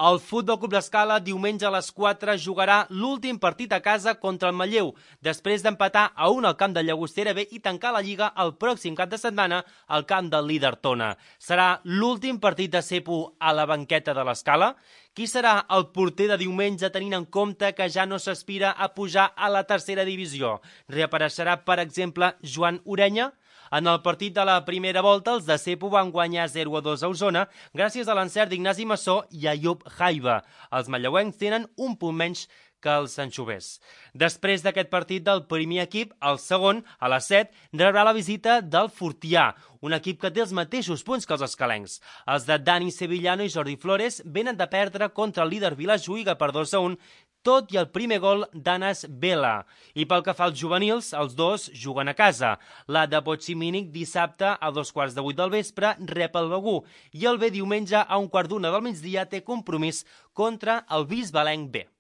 El Futbol Club l'Escala diumenge a les 4 jugarà l'últim partit a casa contra el Manlleu, després d'empatar a 1 al camp de Llagostera B i tancar la Lliga el pròxim cap de setmana al camp del líder Tona. Serà l'últim partit de Cepo a la banqueta de l'Escala? Qui serà el porter de diumenge tenint en compte que ja no s'aspira a pujar a la tercera divisió? Reapareixerà, per exemple, Joan Orenya? En el partit de la primera volta, els de Cepo van guanyar 0-2 a Osona gràcies a l'encert d'Ignasi Massó i Ayub Jaiba. Els manlleuencs tenen un punt menys que els anxovers. Després d'aquest partit del primer equip, el segon, a les 7, rebrà la visita del Fortià, un equip que té els mateixos punts que els escalencs. Els de Dani Sevillano i Jordi Flores venen de perdre contra el líder Vilajuïga per 2-1, tot i el primer gol d'Anas Vela. I pel que fa als juvenils, els dos juguen a casa. La de Bochimínic dissabte a 7:15 del vespre rep el Begú i el B diumenge a 1:15 del migdia té compromís contra el Bisbalenc B.